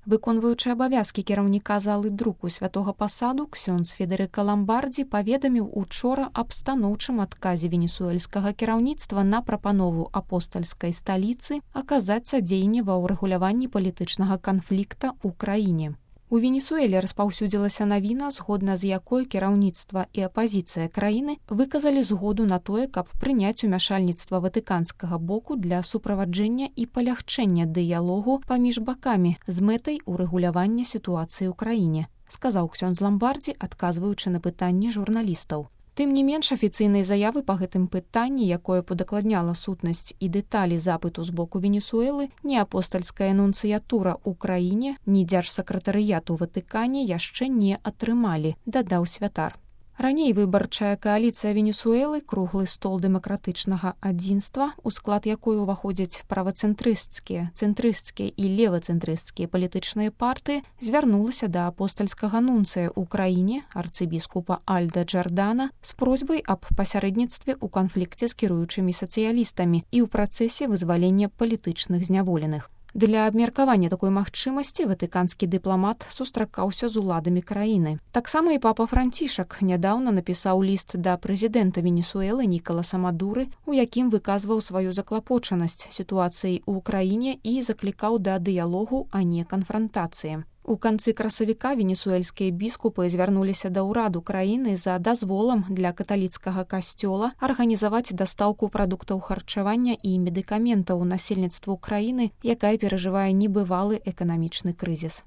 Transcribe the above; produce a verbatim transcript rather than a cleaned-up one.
Выконваючы абавязкі кіраўніка залы друку святога пасаду, ксёндз Федэрыка Ламбардзі паведаміў учора аб станоўчым адказе венесуэльскага кіраўніцтва на прапанову апостальскай сталіцы аказаць садзейнне ва ўрэгуляванні палітычнага канфлікта ў краіне. У Венесуэле распаўсюдзілася навіна, згодна з якой кіраўніцтва і апазіцыя краіны выказалі згоду на тое, каб прыняць умяшальніцтва ватыканскага боку для суправаджэння і палягчэння дыялогу паміж бакамі з мэтай урэгулявання сітуацыі ў краіне, сказаў ксёндз Ламбардзі, адказваючы на пытанні журналістаў. Тым не менш, афіцыйнай заявы па гэтым пытанні, якое падакладняла сутнасць і дэталі запыту з боку Венесуэлы, ні апостальская нунцыятура ў краіне, ні дзяржсакратарыят у Ватыкане яшчэ не атрымалі, дадаў святар. Раней выбарчая кааліцыя Венесуэлы, круглы стол дэмакратычнага адзінства, у склад якой уваходзяць правацэнтрысцкія, цэнтрысцкія і левацэнтрысцкія палітычныя партыі, звярнулася да апостальскага нунцыя ў краіне, арцыбіскупа Альда Джардана, з просьбай аб пасярэдніцтве ў канфлікце з кіруючымі сацыялістамі і ў працэсе вызвалення палітычных зняволеных. Для абмеркавання такой магчымасці ватыканскі дыпламат сустракаўся з уладамі краіны. Таксама і папа Францішак нядаўна напісаў ліст да прэзідэнта Венесуэлы Нікаласа Мадуры, у якім выказваў сваю заклапочанасць сітуацыяй у краіне і заклікаў да дыялогу, а не канфрантацыі. У канцы красавіка венесуэльскія біскупы звярнуліся да ўраду краіны за дазволам для каталіцкага касцёла арганізаваць дастаўку прадуктаў харчавання і медыкаментаў насельніцтву краіны, якая перажывае небывалы эканамічны крызіс.